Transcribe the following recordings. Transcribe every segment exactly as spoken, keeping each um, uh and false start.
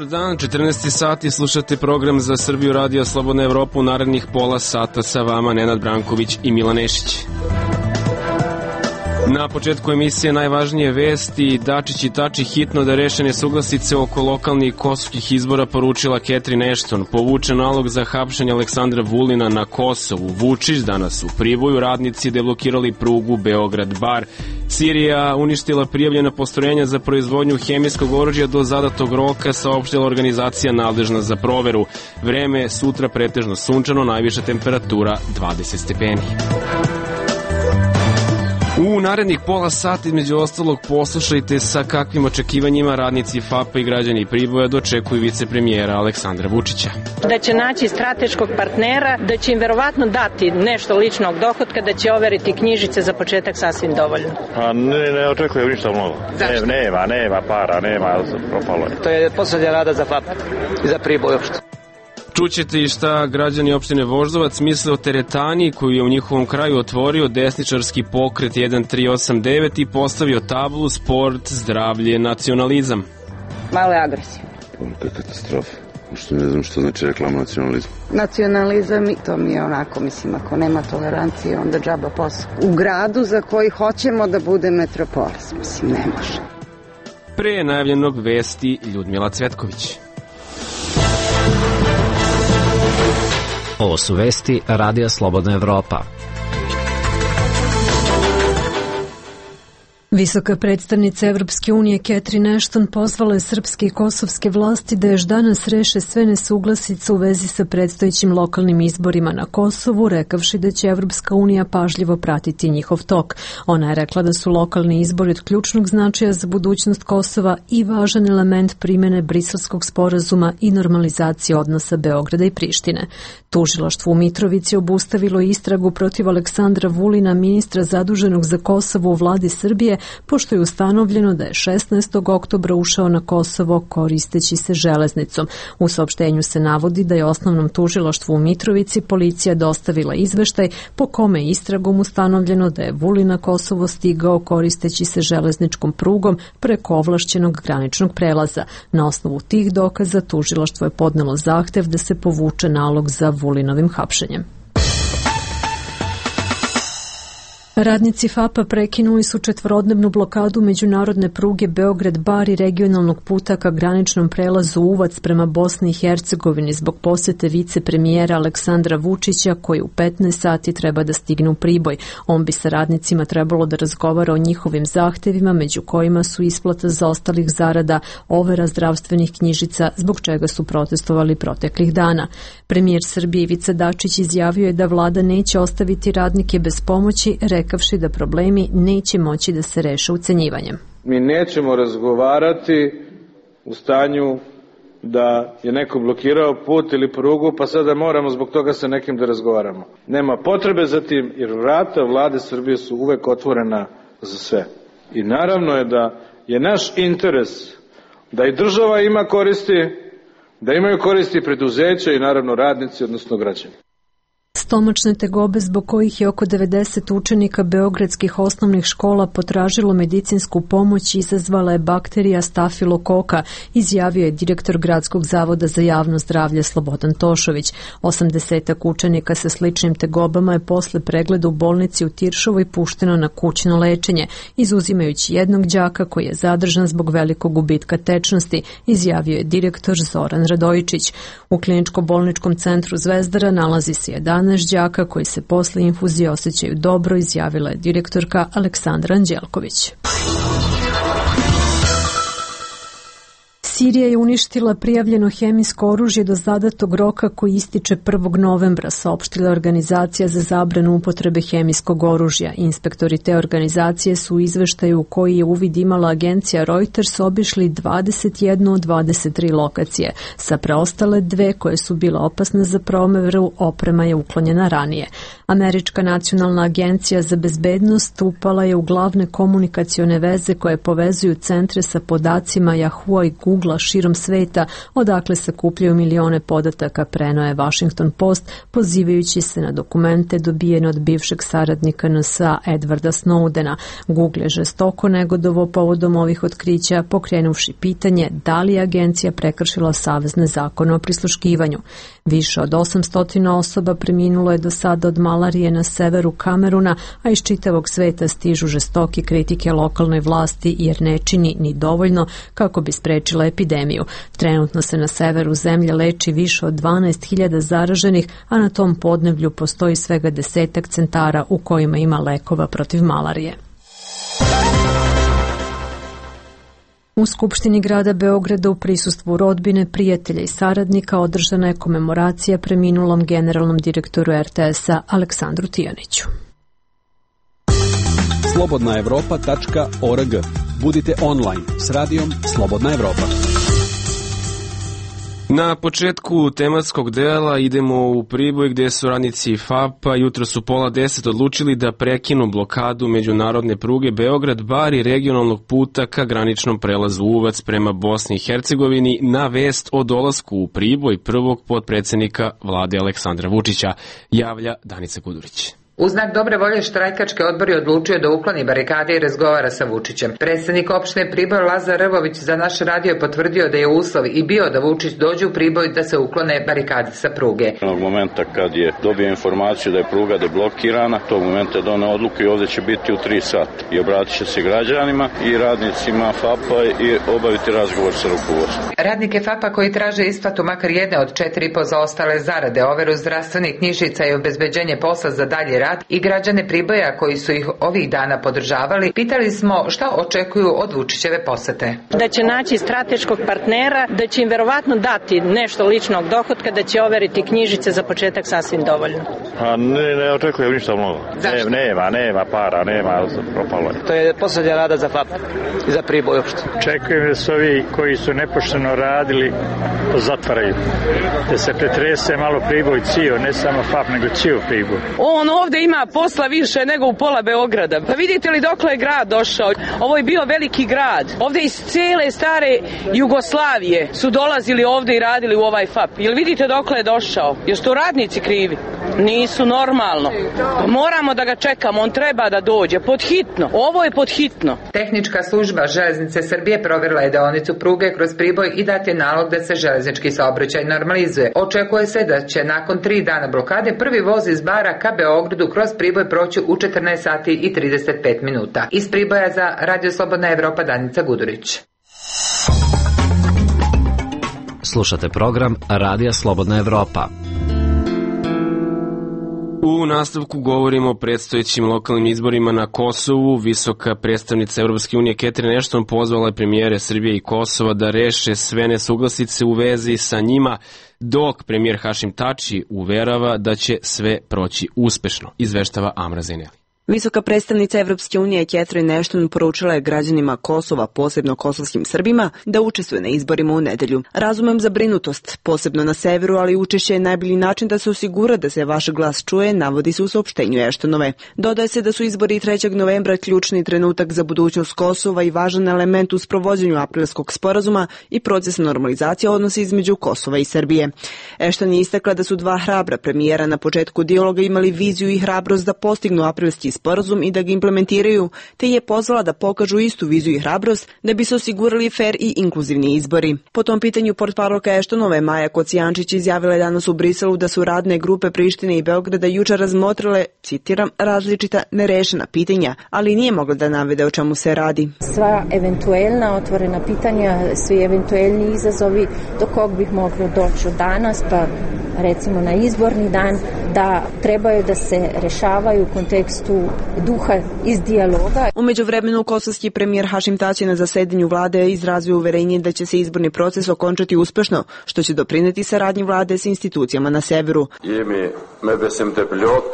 Dan, četrnaesti sati, slušate program za Srbiju Radio Slobodna Evropa. U narednih pola sata sa vama Nenad Branković i Milan Nešić. Na početku emisije najvažnije vesti. Dačić i Tači hitno da reše nesuglasice oko lokalnih kosovskih izbora, poručila Catherine Ashton. Povuče nalog za hapšenje Aleksandra Vulina na Kosovu. Vučić danas u Priboju. Radnici deblokirali prugu Beograd-Bar. Sirija uništila prijavljena postrojenja za proizvodnju hemijskog oružja do zadatog roka, saopštila organizacija nadležna za proveru. Vreme sutra pretežno sunčano, najviša temperatura dvadeset stepeni. U narednih pola sata, između ostalog, poslušajte sa kakvim očekivanjima radnici F A P-a i građani Priboja dočekuju vicepremijera Aleksandra Vučića. Da će naći strateškog partnera, da će im verovatno dati nešto ličnog dohotka, da će overiti knjižice za početak sasvim dovoljno. A ne, ne očekujem ništa mnogo. Zašto? Ne, nema, nema para, nema, propalo je. To je poslednja rada za F A P i za Priboj uopšte. Čućete i šta građani opštine Voždovac misle o teretani koju je u njihovom kraju otvorio desničarski pokret jedan tri osam devet i postavio tablu sport, zdravlje, nacionalizam. Malo je agresivno. To je katastrofa. Što ne znam što znači reklama nacionalizma. Nacionalizam, to mi je onako, mislim, ako nema tolerancije, onda džaba posao. U gradu za koji hoćemo da bude metropolis, mislim, ne može. Pre najavljenog vesti Ljudmila Cvetković. Ovo su vesti Radija Slobodna Evropa. Visoka predstavnica Evropske unije Catherine Ashton pozvala je srpske i kosovske vlasti da još danas reše sve nesuglasice u vezi sa predstojećim lokalnim izborima na Kosovu, rekavši da će Evropska unija pažljivo pratiti njihov tok. Ona je rekla da su lokalni izbori od ključnog značaja za budućnost Kosova i važan element primene Briselskog sporazuma i normalizacije odnosa Beograda i Prištine. Tužilaštvo u Mitrovici obustavilo istragu protiv Aleksandra Vulina, ministra zaduženog za Kosovo u vladi Srbije, pošto je ustanovljeno da je šesnaestog oktobra ušao na Kosovo koristeći se železnicom. U saopštenju se navodi da je osnovnom tužilaštvu u Mitrovici policija dostavila izveštaj po kome je istragom ustanovljeno da je Vulin na Kosovo stigao koristeći se železničkom prugom preko ovlašćenog graničnog prelaza. Na osnovu tih dokaza tužilaštvo je podnelo zahtev da se povuče nalog za Vulinovim hapšenjem. Radnici F A P-a prekinuli su četvorodnevnu blokadu međunarodne pruge Beograd-Bar i regionalnog puta ka graničnom prelazu Uvac prema Bosni i Hercegovini zbog posete vicepremijera Aleksandra Vučića koji u petnaest sati treba da stigne u Priboj. On bi sa radnicima trebalo da razgovara o njihovim zahtevima, među kojima su isplata zaostalih zarada, overa zdravstvenih knjižica, zbog čega su protestovali proteklih dana. Premijer Srbije Ivica Dačić izjavio je da vlada neće ostaviti radnike bez pomoći, rekavši da problemi neće moći da se reše ucenjivanjem. Mi nećemo razgovarati u stanju da je neko blokirao put ili prugu, pa sada moramo zbog toga sa nekim da razgovaramo. Nema potrebe za tim, jer vrata vlade Srbije su uvek otvorena za sve. I naravno je da je naš interes da i država ima koristi, da imaju koristi preduzeća i naravno radnici, odnosno građani. Stomačne tegobe zbog kojih je oko devedeset učenika beogradskih osnovnih škola potražilo medicinsku pomoć izazvala je bakterija stafilokoka, izjavio je direktor Gradskog zavoda za javno zdravlje Slobodan Tošović. Osamdesetak učenika sa sličnim tegobama je posle pregleda u bolnici u Tiršovoj pušteno na kućno lečenje, izuzimajući jednog đaka koji je zadržan zbog velikog gubitka tečnosti, izjavio je direktor Zoran Radojičić. U kliničko-bolničkom centru Zvezdara nalazi se jedanaest đaka koji se posle infuzije osjećaju dobro, izjavila je direktorka Aleksandra Anđelković. Sirija je uništila prijavljeno hemijsko oružje do zadatog roka koji ističe prvog novembra, saopštila organizacija za zabranu upotrebe hemijskog oružja. Inspektori te organizacije su u izveštaju u koji je uvid imala agencija Reuters obišli dvadeset jednu od dvadeset tri lokacije. Sa preostale dve koje su bile opasne za promeru, oprema je uklonjena ranije. Američka nacionalna agencija za bezbednost upala je u glavne komunikacione veze koje povezuju centre sa podacima Yahoo i Google tijela širom sveta, odakle sakupljaju milione podataka, preneo je Washington Post, pozivajući se na dokumente dobijene od bivšeg saradnika N S A Edwarda Snowdena. Google je žestoko negodovao povodom ovih otkrića, pokrenuvši pitanje da li je agencija prekršila savezne zakone o prisluškivanju. Više od osamsto osoba preminulo je do sada od malarije na severu Kameruna, a iz čitavog sveta stižu žestoke kritike lokalnoj vlasti jer ne čini ni dovoljno kako bi sprečila epidemiju. Trenutno se na severu zemlje leči više od dvanaest hiljada zaraženih, a na tom podneblju postoji svega desetak centara u kojima ima lekova protiv malarije. U Skupštini grada Beograda u prisustvu rodbine, prijatelja i saradnika održana je komemoracija preminulom generalnom direktoru R T S-a Aleksandru Tijaniću. slobodna evropa tačka org. Budite online s radijom Slobodna Evropa. Na početku tematskog dela idemo u Priboj gdje su radnici F A P-a jutro su pola deset odlučili da prekinu blokadu međunarodne pruge Beograd-Bar i regionalnog puta ka graničnom prelazu Uvac prema Bosni i Hercegovini na vest o dolasku u Priboj prvog potpredsjednika vlade Aleksandra Vučića, javlja Danica Kudurić. U znak dobre volje štrajkački odbor je odlučio da ukloni barikade i razgovara sa Vučićem. Predsjednik opštine Priboj Lazar Rvović za naš radio potvrdio da je uslov i bio da Vučić dođe u Priboj da se uklone barikade sa pruge. Onog momenta kad je dobio informaciju da je pruga deblokirana, tog momenta je doneo odluku i ovdje će biti u tri sata. I obratit će se građanima i radnicima F A P-a i obaviti razgovor sa rukovodstvom. Radnike F A P-a koji traže isplatu makar jedne od četiri i po zaostale zarade, overu zdravstvenih knjižica i obezbeđenje posla za dalji rad i građane Priboja koji su ih ovih dana podržavali, pitali smo šta očekuju od Vučićeve posete. Da će naći strateškog partnera, da će im verovatno dati nešto ličnog dohotka, da će overiti knjižice za početak sasvim dovoljno. A ne, ne očekujem ništa mnogo. Ne, nema, nema para, nema, propalo je. To je posljednja rada za F A P i za Priboj uopšte. Očekujem da su ovi koji su nepošteno radili zatvaraju. Da se pretrese malo Priboj cio, ne samo F A P, nego cio Priboj. On ovde ima posla više nego u pola Beograda. Pa vidite li dokle je grad došao? Ovo je bio veliki grad. Ovde iz cele stare Jugoslavije su dolazili ovde i radili u ovaj F A P. Jel vidite dokle je došao? Jesu to radnici krivi? Nisu normalno. Pa moramo da ga čekamo, on treba da dođe. Podhitno. Ovo je podhitno. Tehnička služba Železnice Srbije provjerila je deonicu pruge kroz Priboj i dat je nalog da se železnički saobraćaj normalizuje. Očekuje se da će nakon tri dana blokade prvi voz iz Bara ka Beogradu kroz Priboj proći u četrnaest sati i trideset pet minuta. Iz Priboja za Radio Slobodna Evropa, Danica Gudurić. Slušate program Radija Slobodna Evropa. U nastavku govorimo o predstojećim lokalnim izborima na Kosovu. Visoka predstavnica Evropske unije Catherine Ashton pozvala je premijere Srbije i Kosova da reše sve nesuglasice u vezi sa njima, dok premijer Hašim Tači uverava da će sve proći uspešno, izveštava Amra Zeneli. Visoka predstavnica Evropske unije Catherine Ashton poručila je građanima Kosova, posebno kosovskim Srbima, da učestvuje na izborima u nedelju. Razumem zabrinutost, posebno na severu, ali učešće je najbolji način da se osigura da se vaš glas čuje, navodi se u saopštenju Ashtonove. Dodaje se da su izbori trećeg novembra ključni trenutak za budućnost Kosova i važan element u sprovođenju aprilskog sporazuma i proces normalizacije odnosa između Kosova i Srbije. Ashton je istakla da su dva hrabra premijera na početku dijaloga imali viziju i hrabrost da postignu aprilski sporazum i da ga implementiraju, te je pozvala da pokažu istu viziju i hrabrost da bi se osigurali fer i inkluzivni izbori. Po tom pitanju portparolka Ashtonove Maja Kocijančić izjavila je danas u Briselu da su radne grupe Prištine i Beograda jučer razmotrile, citiram, različita nerešena pitanja, ali nije mogla da navede o čemu se radi. Sva eventuelna otvorena pitanja, svi eventuelni izazovi do kog bih moglo doći od danas, pa recimo na izborni dan, da trebaju da se rešavaju u kontekstu duha iz dijaloga. U međuvremenu kosovski premijer Hašim Tači na zasedanju vlade izrazio uverenje da će se izborni proces okončati uspešno, što će doprineti saradnji vlade s institucijama na severu.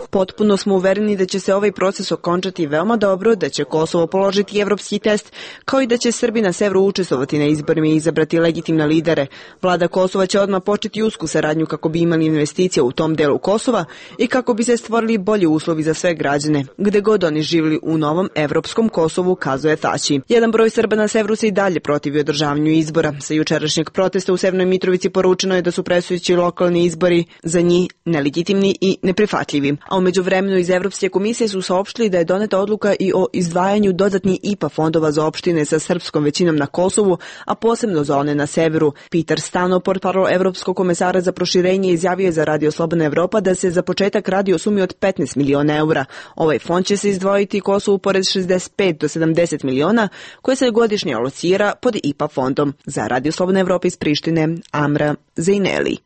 Potpuno smo uvereni da će se ovaj proces okončati veoma dobro, da će Kosovo položiti evropski test, kao i da će Srbi na severu učestvovati na izborima i izabrati legitimne lidere. Vlada Kosova će odmah početi usku saradnju kako bi imali investicije u tom delu Kosova, i kako bi se stvorili bolji uslovi za sve građane, gde god oni živjeli u novom evropskom Kosovu, kazuje Taći. Jedan broj Srba na severu se i dalje protivi održavanju izbora. Sa jučerašnjeg protesta u Severnoj Mitrovici poručeno je da su predstojeći lokalni izbori za njih nelegitimni i neprihvatljivi. A umeđu vremenu iz Evropske komisije su saopštili da je doneta odluka i o izdvajanju dodatnih I P A fondova za opštine sa srpskom većinom na Kosovu, a posebno za one na severu. Peter Stano, portparol Evropskog komesara za proširenje, izjavio je za Radio Slobodna Evropa da se za početak radi o sumi od petnaest miliona eura. Ovaj fond će se izdvojiti Kosovu pored šezdeset pet do sedamdeset miliona koje se godišnje alocira pod I P A fondom. Za Radio Slobodna Evropa iz Prištine, Amra Zejneli.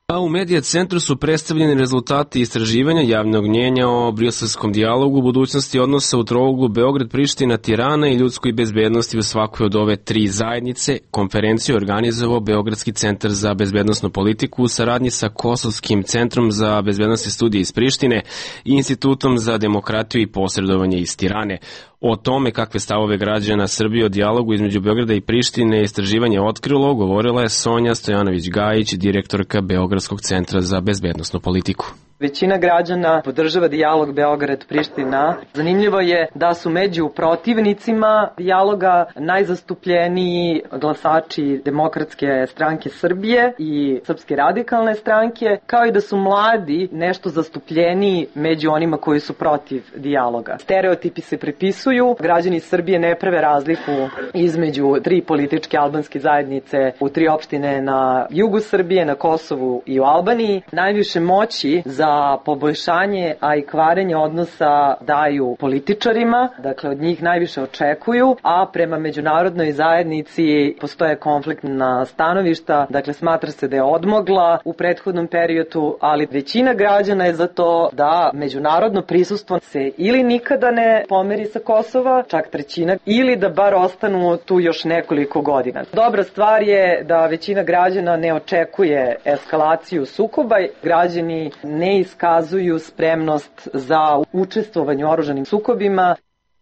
A u Medija centru su predstavljeni rezultati istraživanja javnog mnjenja o briselskom dijalogu, budućnosti odnosa u trouglu Beograd-Priština, Tirana i ljudskoj bezbednosti u svakoj od ove tri zajednice. Konferenciju je organizovao Beogradski centar za bezbednosnu politiku u saradnji sa Kosovskim centrom za bezbednosne studije iz Prištine i Institutom za demokratiju i posredovanje iz Tirane. O tome kakve stavove građana Srbije o dijalogu između Beograda i Prištine istraživanje otkrilo, govorila je Sonja Stojanović-Gajić, direktorka Beogradskog centra za bezbednosnu politiku. Većina građana podržava dijalog Beograd-Priština. Zanimljivo je da su među protivnicima dijaloga najzastupljeniji glasači Demokratske stranke Srbije i Srpske radikalne stranke, kao i da su mladi nešto zastupljeniji među onima koji su protiv dijaloga. Stereotipi se pripisuju, građani Srbije ne prave razliku između tri političke albanske zajednice u tri opštine na jugu Srbije, na Kosovu i u Albaniji. Najviše moći za za poboljšanje, a i kvarenje odnosa daju političarima, dakle od njih najviše očekuju, a prema međunarodnoj zajednici postoje konfliktna stanovišta, dakle smatra se da je odmogla u prethodnom periodu, ali većina građana je za to da međunarodno prisustvo se ili nikada ne pomeri sa Kosova, čak trećina, ili da bar ostanu tu još nekoliko godina. Dobra stvar je da većina građana ne očekuje eskalaciju sukoba, građani ne iskazuju spremnost za učestvovanje u oružanim sukobima.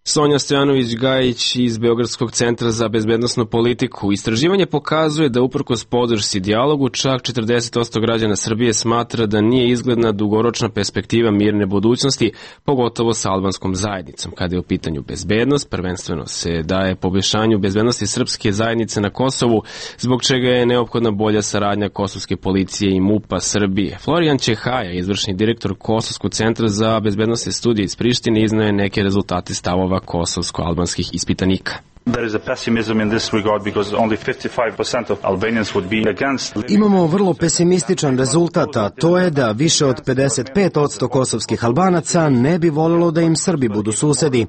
Sonja Stojanović-Gajić iz Beogradskog centra za bezbednosnu politiku. Istraživanje pokazuje da uprkos podršci dijalogu čak četrdeset posto građana Srbije smatra da nije izgledna dugoročna perspektiva mirne budućnosti, pogotovo sa albanskom zajednicom. Kada je u pitanju bezbednost, prvenstveno se daje poboljšanju bezbednosti srpske zajednice na Kosovu, zbog čega je neophodna bolja saradnja kosovske policije i MUP-a Srbije. Florijan Čehaja, izvršni direktor Kosovskog centra za bezbednosne studije iz Prištine, iznao je neke rezultate stavova kosovsko-albanskih ispitanika. There is a pessimism in this regard because only fifty-five percent of Albanians would be against. Imamo vrlo pesimističan rezultat, a to je da više od pedeset pet posto kosovskih Albanaca ne bi voljelo da im Srbi budu susedi.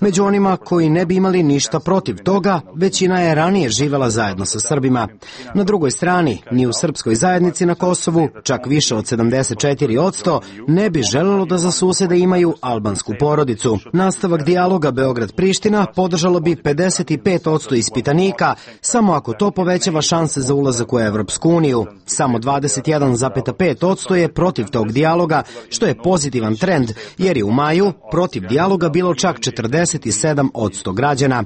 Među onima koji ne bi imali ništa protiv toga, većina je ranije živela zajedno sa Srbima. Na drugoj strani, ni u srpskoj zajednici na Kosovu, čak više od sedamdeset četiri posto ne bi želelo da za susede imaju albansku porodicu. Nastavak dijaloga Beograd-Priština podržalo bi pedeset pet posto ispitanika, samo ako to povećava šanse za ulazak u Evropsku uniju. Samo dvadeset jedan zarez pet posto je protiv tog dijaloga, što je pozitivan trend, jer je u maju protiv dijaloga bilo čak četrdeset sedam posto građana.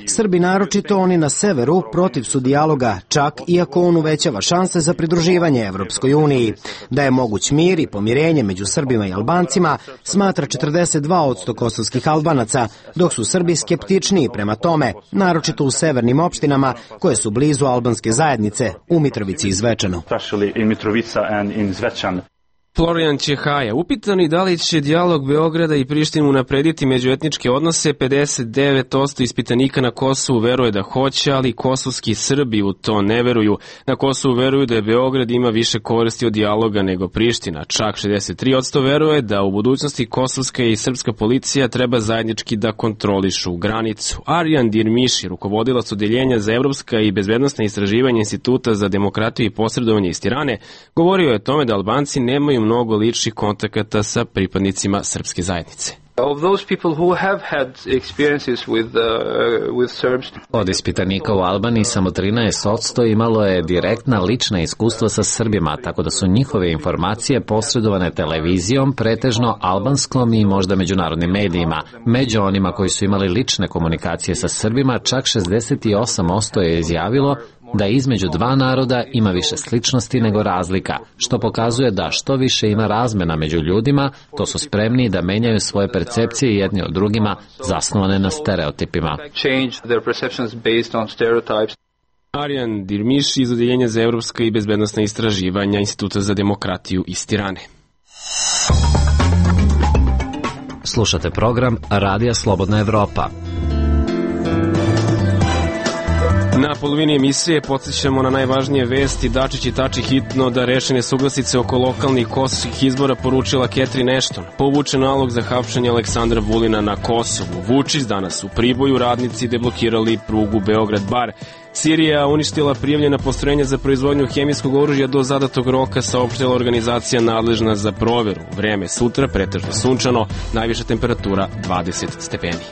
Srbi, naročito oni na severu, protiv su dijaloga, čak iako on uvećava šanse za pridruživanje Evropskoj uniji. Da je moguć mir i pomirenje među Srbima i Albancima, smatra četrdeset dva posto kosovskih Albanaca, dok su Srbi skeptičniji prema tome, naročito u severnim opštinama koje su blizu albanske zajednice, u Mitrovici i Zvečanu. Florijan Čehaja, upitani da li će dijalog Beograda i Prištine unaprediti međuetničke odnose, pedeset devet posto ispitanika na Kosovu veruje da hoće, ali kosovski Srbi u to ne veruju. Na Kosovu veruju da je Beograd ima više koristi od dijaloga nego Priština. Čak šezdeset tri posto veruje da u budućnosti kosovska i srpska policija treba zajednički da kontrolišu granicu. Arjan Dirmiši, rukovodilac odeljenja za evropska i bezbednosna istraživanja Instituta za demokratiju i posredovanje iz Tirane, govorio je o tome da Albanci nemaju mnogo ličnih kontakata sa pripadnicima srpske zajednice. Od ispitanika u Albaniji samo trinaest posto imalo je direktna lična iskustva sa Srbima, tako da su njihove informacije posredovane televizijom, pretežno albanskom i možda međunarodnim medijima. Među onima koji su imali lične komunikacije sa Srbima, čak šezdeset osam posto je izjavilo da između dva naroda ima više sličnosti nego razlika, što pokazuje da što više ima razmena među ljudima, to su spremni da menjaju svoje percepcije jedni od drugima zasnovane na stereotipima. Arjan Dirmiš iz Odeljenja za evropska i bezbednosna istraživanja Instituta za demokratiju iz Tirane. Slušate program Radija Slobodna Evropa. Na polovini emisije podsjećamo na najvažnije vesti. Dačić i Tači hitno da reše nesuglasice oko lokalnih kosovskih izbora, poručila Catherine Ashton. Povučen nalog za hapšenje Aleksandra Vulina na Kosovu. Vučić danas u Priboju, radnici deblokirali prugu Beograd-Bar. Sirija uništila prijavljena postrojenja za proizvodnju hemijskog oružja do zadatog roka, saopštila organizacija nadležna za proveru. Vreme sutra pretežno sunčano, najviša temperatura dvadeset stepeni.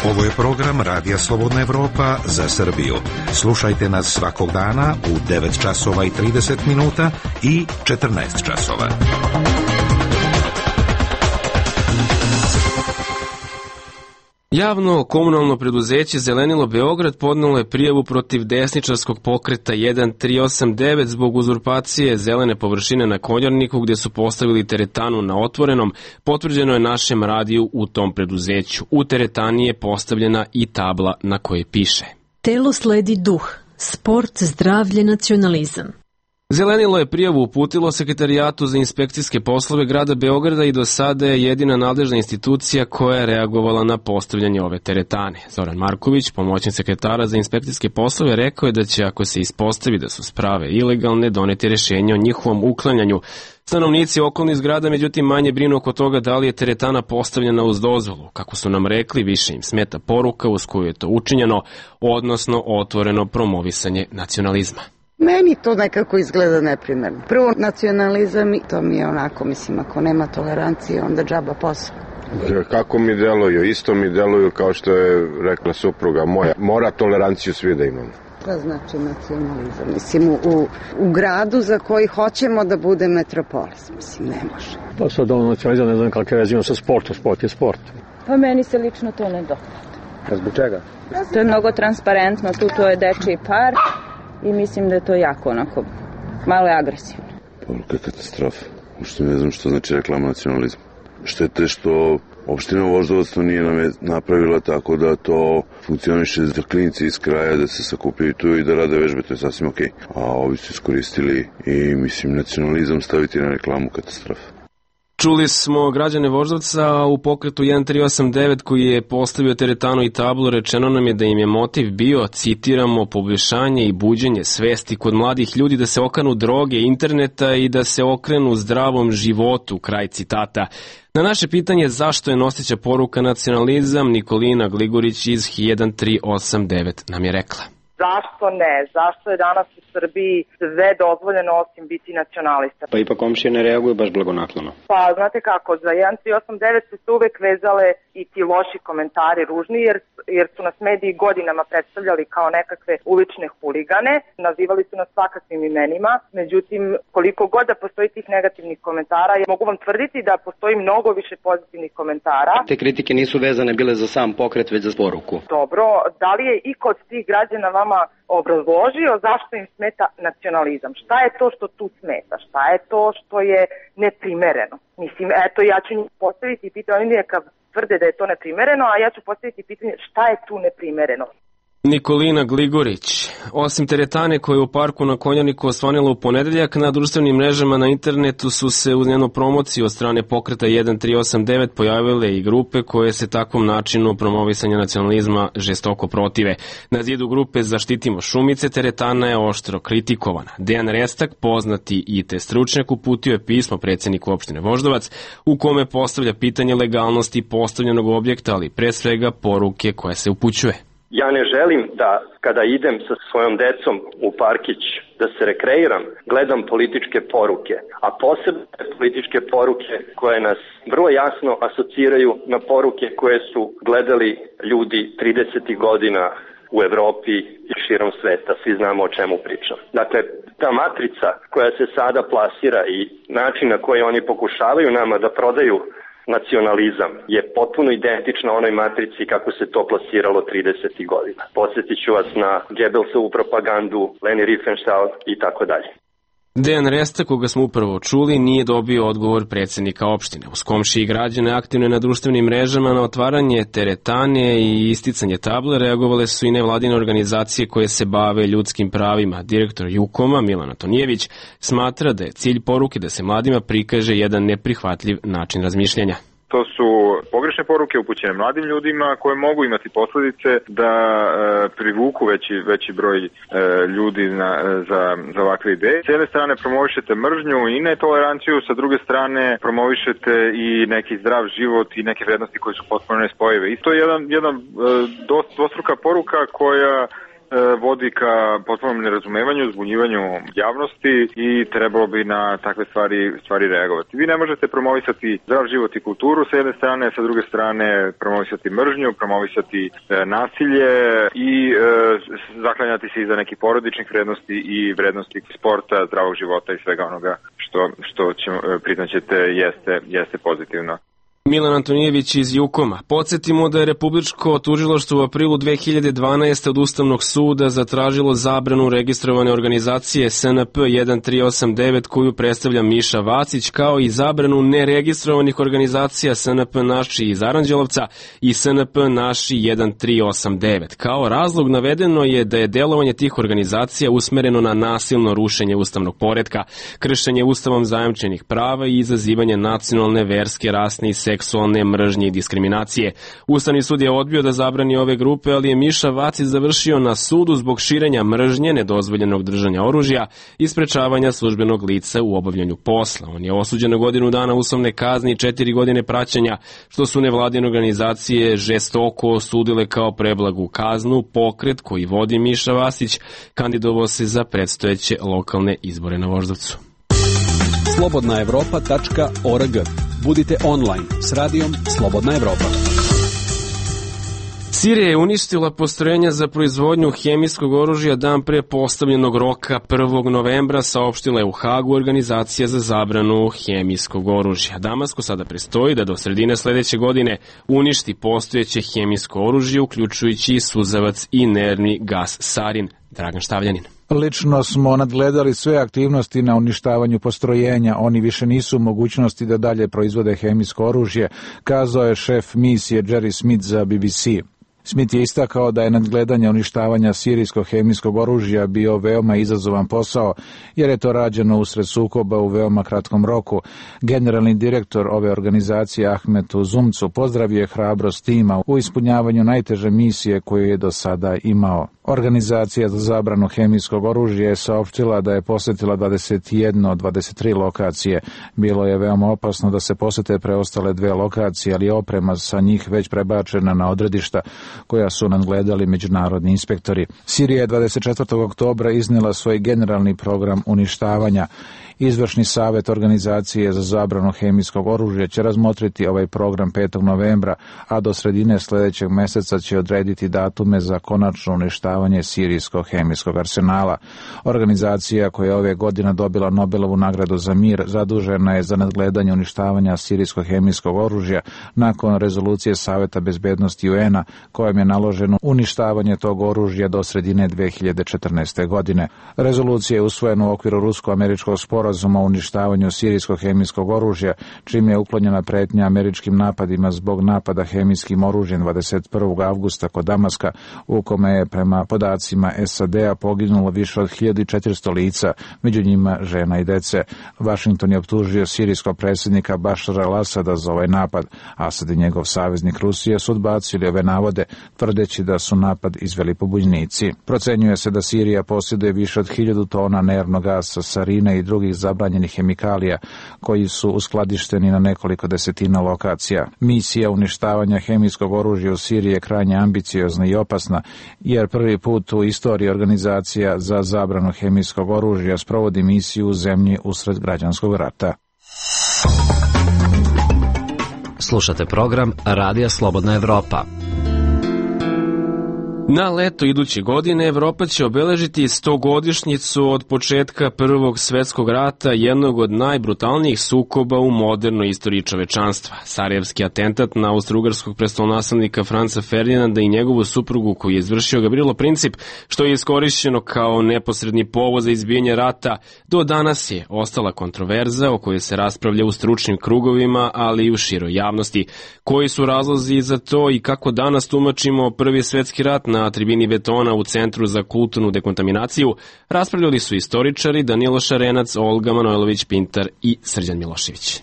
Ovo je program Radija Slobodna Evropa za Srbiju. Slušajte nas svakog dana u devet časova i trideset minuta i četrnaest časova. Javno komunalno preduzeće Zelenilo Beograd podnelo je prijavu protiv desničarskog pokreta jedan tri osam devet zbog uzurpacije zelene površine na Konjarniku gde su postavili teretanu na otvorenom, potvrđeno je našem radiju u tom preduzeću. U teretani je postavljena i tabla na kojoj piše: Telo sledi duh, sport, zdravlje, nacionalizam. Zelenilo je prijavu uputilo Sekretarijatu za inspekcijske poslove grada Beograda i do sada je jedina nadležna institucija koja je reagovala na postavljanje ove teretane. Zoran Marković, pomoćnik sekretara za inspekcijske poslove, rekao je da će, ako se ispostavi da su sprave ilegalne, doneti rešenje o njihovom uklanjanju. Stanovnici okolnih zgrada, međutim, manje brinu oko toga da li je teretana postavljena uz dozvolu. Kako su nam rekli, više im smeta poruka uz koju je to učinjeno, odnosno otvoreno promovisanje nacionalizma. Meni to nekako izgleda neprimerno. Prvo, nacionalizam, to mi je onako, mislim, ako nema tolerancije, onda džaba posao. Kako mi deluju? Isto mi deluju kao što je rekla supruga moja. Mora toleranciju svi da imamo. To znači nacionalizam. Mislim, u, u gradu za koji hoćemo da bude metropolis. Mislim, ne može. Pa sad ono nacionalizam, ne znam kakve veze ima sa sportom. Sport je sport. Pa meni se lično to ne dopada. A zbog čega? To je mnogo transparentno. Tu to je dečiji park. I mislim da je to jako onako, malo je agresivno. Poruka katastrofa. Uopšte ne znam što znači reklama nacionalizma. Štete što opština Voždovac to nije napravila tako da to funkcioniše za klinici iz kraja, da se sakupljaju tu i da rade vežbe, to je sasvim okej. A ovi su iskoristili i mislim nacionalizam staviti na reklamu katastrofa. Čuli smo građane Voždovca u pokretu jedan tri osam devet koji je postavio teretanu i tablu. Rečeno nam je da im je motiv bio, citiramo, poboljšanje i buđenje svesti kod mladih ljudi da se okanu droge, interneta i da se okrenu zdravom životu, kraj citata. Na naše pitanje zašto je noseća poruka nacionalizam, Nikolina Gligorić iz jedan tri osam devet nam je rekla. Zašto ne? Zašto je danas u Srbiji sve dozvoljeno osim biti nacionalista? Pa ipak komšije ne reaguju baš blagonaklono. Pa znate kako, za jedan tri osam devet su se uvek vezale i ti loši komentari ružni, jer, jer su nas mediji godinama predstavljali kao nekakve ulične huligane, nazivali su nas svakakvim imenima, međutim koliko god da postoji tih negativnih komentara, ja mogu vam tvrditi da postoji mnogo više pozitivnih komentara. Te kritike nisu vezane bile za sam pokret, već za poruku. Dobro, da li je i kod tih građana vama obrazložio zašto im smeta nacionalizam? Šta je to što tu smeta? Šta je to što je neprimereno? Mislim, eto, ja ću njih postaviti pitanje, oni neka tvrde da je to neprimereno, a ja ću postaviti pitanje šta je tu neprimereno. Nikolina Gligorić. Osim teretane koja je u parku na Konjarniku osvanila u ponedeljak, na društvenim mrežama na internetu su se uz njenu promociju od strane pokreta jedan tri osam devet pojavile i grupe koje se takvom načinu promovisanja nacionalizma žestoko protive. Na zidu grupe Zaštitimo šumice teretana je oštro kritikovana. Dejan Restak, poznati I T stručnjak, uputio je pismo predsjedniku opštine Voždovac u kome postavlja pitanje legalnosti postavljenog objekta, ali pre svega poruke koje se upućuje. Ja ne želim da kada idem sa svojom decom u parkić da se rekreiram, gledam političke poruke, a posebno političke poruke koje nas vrlo jasno asociraju na poruke koje su gledali ljudi tridesetih godina u Evropi i širom sveta. Svi znamo o čemu pričam. Dakle, ta matrica koja se sada plasira i način na koji oni pokušavaju nama da prodaju nacionalizam je potpuno identična onoj matrici kako se to plasiralo tridesetih godina. Podsjetit ću vas na Goebbelsovu propagandu, Leni Riefenstahl i tako dalje. Dejan Resta, koga smo upravo čuli, nije dobio odgovor predsjednika opštine. Uz komšije i građane aktivne na društvenim mrežama na otvaranje teretane i isticanje table reagovale su i nevladine organizacije koje se bave ljudskim pravima. Direktor Jukoma, Milan Antonijević, smatra da je cilj poruke da se mladima prikaže jedan neprihvatljiv način razmišljanja. To su pogrešne poruke upućene mladim ljudima koje mogu imati posljedice da e, privuku veći, veći broj e, ljudi na, za, za ovakve ideje. S jedne strane promovišete mržnju i netoleranciju, sa druge strane promovišete i neki zdrav život i neke vrednosti koje su potpuno nespojive. I to je jedan, jedan e, dvostruka poruka koja vodi ka potpunom nerazumevanju, zbunjivanju javnosti i trebalo bi na takve stvari, stvari reagovati. Vi ne možete promovisati zdrav život i kulturu sa jedne strane, sa druge strane promovisati mržnju, promovisati e, nasilje i e, zaklanjati se iza nekih porodičnih vrednosti i vrednosti sporta, zdravog života i svega onoga što, što ćemo, priznaćete jeste, jeste pozitivno. Milan Antonijević iz Jukoma. Podsjetimo da je Republičko tužilaštvo u aprilu dve hiljade dvanaeste. od Ustavnog suda zatražilo zabranu registrovane organizacije S N P jedan tri osam devet koju predstavlja Miša Vacić, kao i zabranu neregistrovanih organizacija S N P Naši iz Aranđelovca i S N P Naši jedan tri osam devet. Kao razlog navedeno je da je delovanje tih organizacija usmereno na nasilno rušenje ustavnog poretka, kršenje ustavom zajamčenih prava i izazivanje nacionalne, verske, rasne i seksualne mržnje i diskriminacije. Ustavni sud je odbio da zabrani ove grupe, ali je Miša Vacić završio na sudu zbog širenja mržnje, nedozvoljenog držanja oružja i sprečavanja službenog lica u obavljanju posla. On je osuđen na godinu dana uslovne kazne i četiri godine praćenja, što su nevladine organizacije žestoko osudile kao preblagu kaznu. Pokret koji vodi Miša Vacić kandidovao se za predstojeće lokalne izbore na Voždovcu. slobodna evropa tačka org. Budite online s radijom Slobodna Evropa. Sirija je uništila postrojenja za proizvodnju hemijskog oružja dan pre postavljenog roka prvog novembra, saopštila je u Hagu Organizacija za zabranu hemijskog oružja. Damasku sada prestoji da do sredine sledeće godine uništi postojeće hemijsko oružje, uključujući i suzavac i nervni gas sarin. Dragan Štavljanin. Lično smo nadgledali sve aktivnosti na uništavanju postrojenja. Oni više nisu u mogućnosti da dalje proizvode hemijsko oružje, kazao je šef misije Jerry Smith za B B C. Smith je istakao da je nadgledanje uništavanja sirijskog hemijskog oružja bio veoma izazovan posao, jer je to rađeno usred sukoba u veoma kratkom roku. Generalni direktor ove organizacije Ahmet Uzumcu pozdravio je hrabrost tima u ispunjavanju najteže misije koju je do sada imao. Organizacija za zabranu hemijskog oružja je saopštila da je posetila dvadeset jedna od dvadeset tri lokacije. Bilo je veoma opasno da se posete preostale dve lokacije, ali oprema sa njih već prebačena na odredišta koja su nadgledali međunarodni inspektori. Sirija je dvadeset četvrtog oktobra iznela svoj generalni program uništavanja. Izvršni savet Organizacije za zabranu hemijskog oružja će razmotriti ovaj program petog novembra, a do sredine sledećeg meseca će odrediti datume za konačno uništavanje sirijskog hemijskog arsenala. Organizacija koja je ove godine dobila Nobelovu nagradu za mir zadužena je za nadgledanje uništavanja sirijskog hemijskog oružja nakon rezolucije Saveta bezbednosti U N-a kojom je naloženo uništavanje tog oružja do sredine dve hiljade četrnaeste. godine. Rezolucija je usvojena u okviru rusko-američkog sporazuma o uništavanju sirijskog hemijskog oružja, čim je uklonjena pretnja američkim napadima zbog napada hemijskim oružjem dvadeset prvog avgusta kod Damaska, u kome je prema podacima S A D-a poginulo više od hiljadu četiristo lica, među njima žena i dece. Washington je optužio sirijskog predsjednika Bašara al-Asada za ovaj napad. Asad i njegov saveznik Rusije su odbacili ove navode, tvrdeći da su napad izveli pobunjenici. Procenjuje se da Sirija posjeduje više od hiljadu tona nervnog gasa, sarina i drugih zabranjenih hemikalija koji su uskladišteni na nekoliko desetina lokacija. Misija uništavanja hemijskog oružja u Siriji je krajnje ambiciozna i opasna, jer prvi put u istoriji Organizacija za zabranu hemijskog oružja sprovodi misiju u zemlji usred građanskog rata. Slušate program Radija Slobodna Evropa. Na leto iduće godine Evropa će obeležiti stogodišnjicu od početka Prvog svetskog rata, jednog od najbrutalnijih sukoba u modernoj istoriji čovečanstva. Sarajevski atentat na austrougarskog prestolonaslednika Franca Ferdinanda i njegovu suprugu koju je izvršio Gavrilo Princip, što je iskorišćeno kao neposredni povod za izbijanje rata, do danas je ostala kontroverza o kojoj se raspravlja u stručnim krugovima, ali i u široj javnosti. Koji su razlozi za to i kako danas tumačimo Prvi svetski rat na tribini betona u Centru za kulturnu dekontaminaciju, raspravljali su istoričari Danilo Šarenac, Olga Manojlović-Pintar i Srđan Milošević.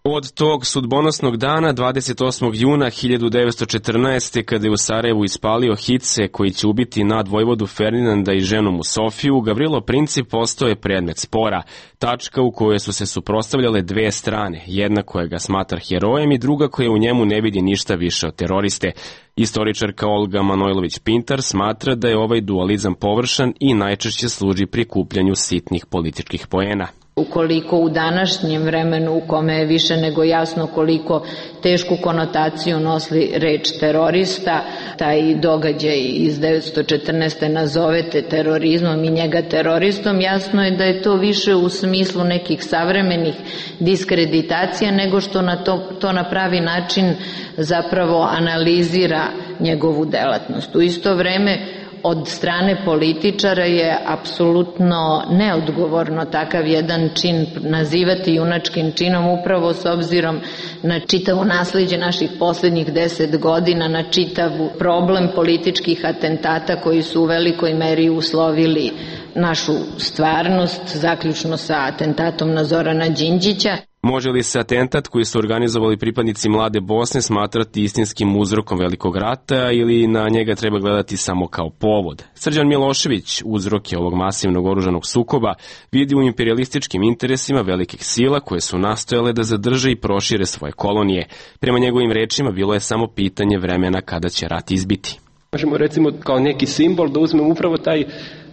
Od tog sudbonosnog dana, dvadeset osmog juna hiljadu devetsto četrnaeste. kada je u Sarajevu ispalio hice koji će ubiti nadvojvodu Ferdinanda i ženu mu Sofiju, Gavrilo Princip postao je predmet spora, tačka u kojoj su se suprotstavljale dve strane, jedna koja ga smatra herojem i druga koja u njemu ne vidi ništa više od teroriste. Istoričarka Olga Manojlović-Pintar smatra da je ovaj dualizam površan i najčešće služi prikupljanju sitnih političkih poena. Ukoliko u današnjem vremenu u kome je više nego jasno koliko tešku konotaciju nosi reč terorista, taj događaj iz devetsto četrnaeste. nazovete terorizmom i njega teroristom, jasno je da je to više u smislu nekih savremenih diskreditacija nego što na to, to na pravi način zapravo analizira njegovu delatnost. U isto vreme od strane političara je apsolutno neodgovorno takav jedan čin nazivati junačkim činom, upravo s obzirom na čitavo nasleđe naših poslednjih deset godina, na čitav problem političkih atentata koji su u velikoj meri uslovili našu stvarnost, zaključno sa atentatom na Zorana Đinđića. Može li se atentat koji su organizovali pripadnici Mlade Bosne smatrati istinskim uzrokom velikog rata ili na njega treba gledati samo kao povod? Srđan Milošević uzroke ovog masivnog oružanog sukoba vidi u imperialističkim interesima velikih sila koje su nastojale da zadrže i prošire svoje kolonije. Prema njegovim rečima bilo je samo pitanje vremena kada će rat izbiti. Možemo recimo kao neki simbol da uzmemo upravo taj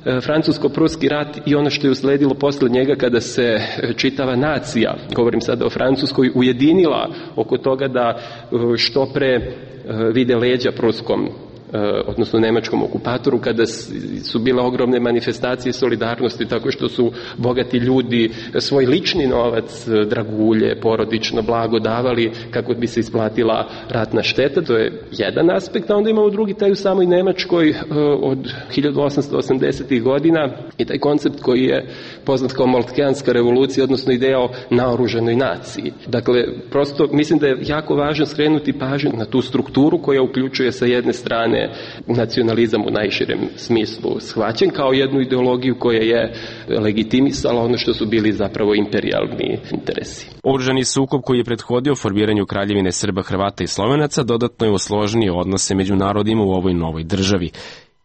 francusko-pruski rat i ono što je usledilo posle njega kada se čitava nacija, govorim sada o Francuskoj, ujedinila oko toga da što pre vide leđa pruskom, odnosno nemačkom okupatoru, kada su bile ogromne manifestacije solidarnosti tako što su bogati ljudi svoj lični novac, dragulje, porodično blago davali kako bi se isplatila ratna šteta. To je jedan aspekt, a onda imamo drugi taj u samoj Nemačkoj od hiljadu osamsto osamdesetih. godina i taj koncept koji je poznat kao Moltkeanska revolucija, odnosno ideja o naoružanoj naciji. Dakle, prosto mislim da je jako važno skrenuti pažnju na tu strukturu koja uključuje sa jedne strane nacionalizam u najširem smislu shvaćen kao jednu ideologiju koja je legitimisala ono što su bili zapravo imperijalni interesi. Oružani sukob koji je prethodio formiranju Kraljevine Srba, Hrvata i Slovenaca dodatno je usložnio odnose među narodima u ovoj novoj državi.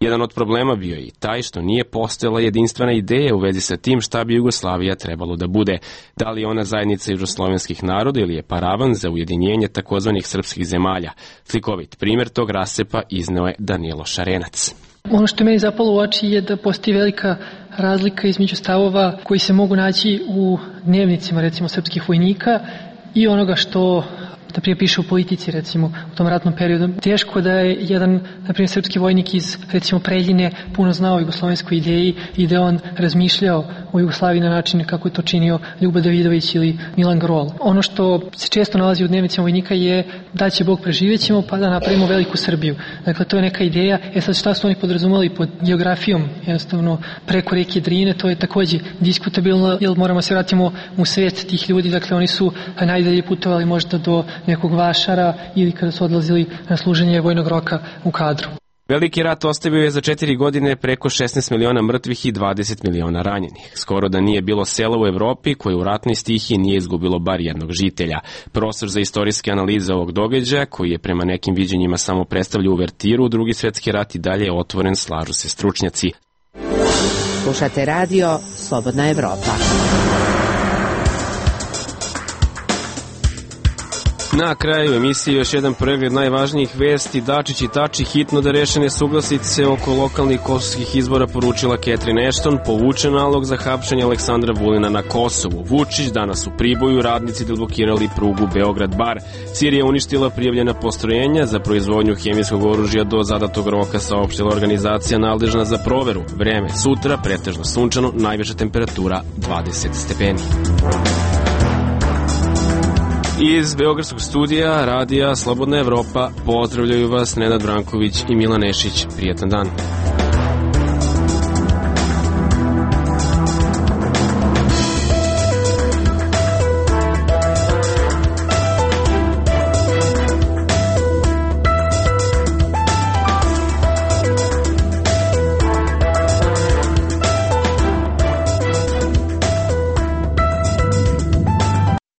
Jedan od problema bio je i taj što nije postojala jedinstvena ideja u vezi sa tim šta bi Jugoslavija trebalo da bude. Da li je ona zajednica južnoslovenskih naroda ili je paravan za ujedinjenje takozvanih srpskih zemalja. Slikovit primjer tog rasepa izneo je Danilo Šarenac. Ono što je meni zapalo u oči je da postoji velika razlika između stavova koji se mogu naći u dnevnicima recimo srpskih vojnika i onoga što da prije piše u politici, recimo, u tom ratnom periodu. Teško da je jedan, na primjer, srpski vojnik iz, recimo, Preljine puno znao o jugoslovenskoj ideji i da on razmišljao o Jugoslaviji na način kako je to činio Ljubo Davidović ili Milan Grol. Ono što se često nalazi u dnevnicima vojnika je da će Bog preživjećemo pa da napravimo veliku Srbiju. Dakle, to je neka ideja. E sad, šta su oni podrazumeli pod geografijom, jednostavno preko reke Drine, to je takođe diskutabilno, jer moramo se vratimo u svet tih ljudi. Dakle, oni su najdalje putovali možda do nekog Vašara ili kada su odlazili na služenje vojnog roka u kadru. Veliki rat ostavio je za četiri godine preko šesnaest miliona mrtvih i dvadeset miliona ranjenih. Skoro da nije bilo sela u Evropi koje u ratnoj stihiji nije izgubilo bar jednog žitelja. Prostor za istorijske analize ovog događaja, koji je prema nekim viđenjima samo predstavlja uvertiru, Drugi svetski rat i dalje je otvoren, slažu se stručnjaci. Slušate radio Slobodna Evropa. Na kraju emisije još jedan pregled najvažnijih vesti. Dačić i Tači hitno da reše nesuglasice oko lokalnih kosovskih izbora, poručila Catherine Ashton. Povučen nalog za hapšenje Aleksandra Vulina na Kosovu. Vučić danas u Priboju, radnici deblokirali prugu Beograd-Bar. Sirija uništila prijavljena postrojenja za proizvodnju hemijskog oružja do zadatog roka, saopštila organizacija nadležna za proveru. Vreme sutra pretežno sunčano, najviša temperatura dvadeset stepeni. Iz Beogradskog studija radija Slobodna Evropa pozdravljaju vas Nenad Branković i Milan Nešić. Prijetan dan.